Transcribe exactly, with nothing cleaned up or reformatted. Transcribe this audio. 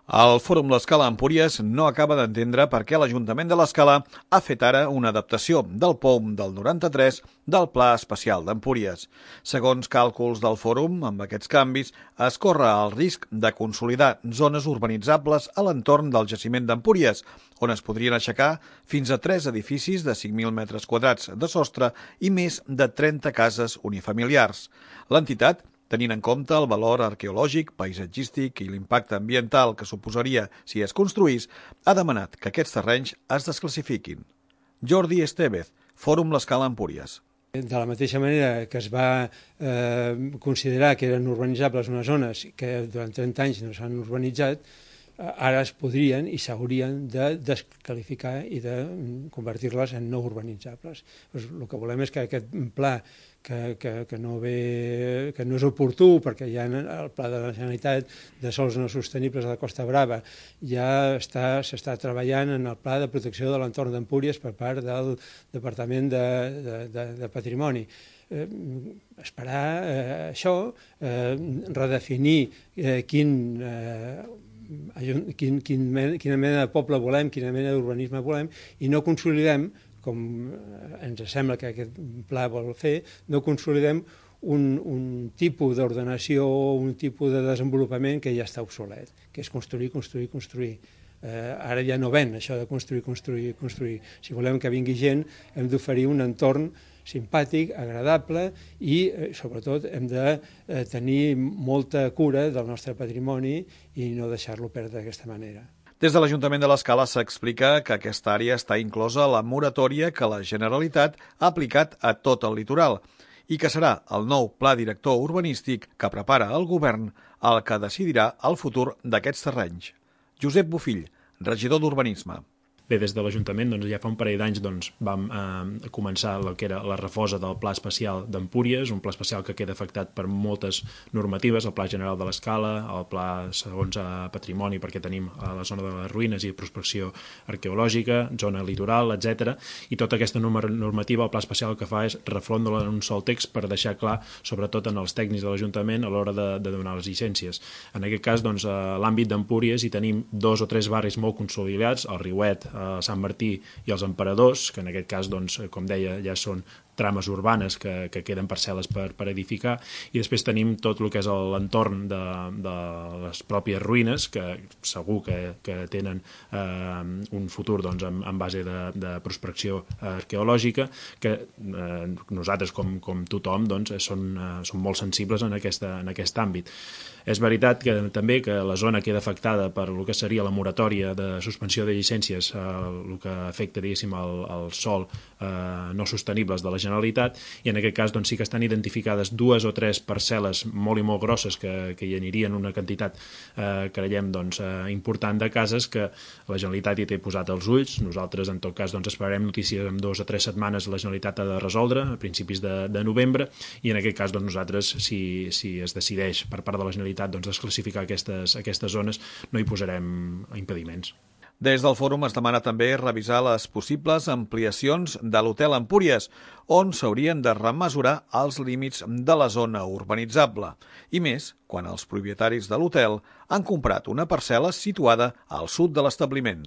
El Fòrum L'Escala Empúries no acaba d'entendre per què l'Ajuntament de l'Escala ha fet ara una adaptació del P O M del noranta-tres del Pla Especial d'Empúries. Segons càlculs del Fòrum, amb aquests canvis es corre el risc de consolidar zones urbanitzables a l'entorn del jaciment d'Empúries, on es podrien aixecar fins a tres edificis de cinc mil metres quadrats de sostre i més de trenta cases unifamiliars. L'entitat, tenint en compte el valor arqueològic, paisatgístic i l'impacte ambiental que suposaria si es construís, ha demanat que aquests terrenys es desclassifiquin. Jordi Estevez, Fòrum L'Escala Empúries. De la mateixa manera que es va eh, considerar que eren urbanitzables unes zones que durant trenta anys no s'han urbanitzat, ara es podrien i s'haurien de descalificar i de convertir-les en no urbanitzables. Pues el que volem és que aquest pla, que, que, que, no ve, que no és oportú, perquè ja el pla de la Generalitat de sòls no sostenibles a la Costa Brava ja està, s'està treballant en el pla de protecció de l'entorn d'Empúries per part del Departament de, de, de, de Patrimoni. Eh, esperar eh, això, eh, redefinir eh, quin... Eh, Quin, quin, quina mena de poble volem, quina mena d'urbanisme volem, i no consolidem, com ens sembla que aquest pla vol fer, no consolidem un, un tipus d'ordenació o un tipus de desenvolupament que ja està obsolet, que és construir, construir, construir. Eh, ara ja no ven això de construir, construir, construir. Si volem que vingui gent, hem d'oferir un entorn simpàtic, agradable i, eh, sobretot, hem de eh, tenir molta cura del nostre patrimoni i no deixar-lo perdre d'aquesta manera. Des de l'Ajuntament de l'Escala s'explica que aquesta àrea està inclosa a la moratòria que la Generalitat ha aplicat a tot el litoral i que serà el nou Pla Director Urbanístic que prepara el govern el que decidirà el futur d'aquests terrenys. Josep Bofill, regidor d'Urbanisme. Bé, des de l'Ajuntament doncs, ja fa un parell d'anys doncs, vam eh, començar el que era la refosa del Pla Especial d'Empúries, un pla especial que queda afectat per moltes normatives, el Pla General de l'Escala, el Pla segons a Patrimoni, perquè tenim a la zona de les ruïnes i prospecció arqueològica, zona litoral, etcètera. I tota aquesta normativa, el Pla Especial el que fa és refondre-la en un sol text per deixar clar, sobretot en els tècnics de l'Ajuntament, a l'hora de, de donar les llicències. En aquest cas, doncs, a l'àmbit d'Empúries hi tenim dos o tres barris molt consolidats, el Riuet, a Sant Martí i els Emperadors, que en aquest cas, doncs, com deia, ja són trames urbanes que, que queden parcel·les per, per edificar, i després tenim tot el que és l'entorn de, de les pròpies ruïnes, que segur que, que tenen eh, un futur doncs, en, en base de, de prospecció arqueològica, que eh, nosaltres, com, com tothom, doncs, són, eh, són molt sensibles en, aquesta, en aquest àmbit. És veritat que també que la zona queda afectada per el que seria la moratòria de suspensió de llicències, eh, el que afecta, diguéssim, el, el sòl eh, no sostenibles de la Generalitat, i en aquest cas doncs, sí que estan identificades dues o tres parcel·les molt i molt grosses que, que hi anirien una quantitat, eh, creiem, doncs, eh, important de cases que la Generalitat hi té posat els ulls. Nosaltres, en tot cas, doncs, esperarem notícies en dues o tres setmanes la Generalitat ha de resoldre, a principis de, de novembre, i en aquest cas doncs, nosaltres, si, si es decideix per part de la Generalitat doncs, desclassificar aquestes, aquestes zones, no hi posarem impediments. Des del fòrum es demana també revisar les possibles ampliacions de l'Hotel Empúries, on s'haurien de remesurar els límits de la zona urbanitzable. I més, quan els propietaris de l'hotel han comprat una parcel·la situada al sud de l'establiment.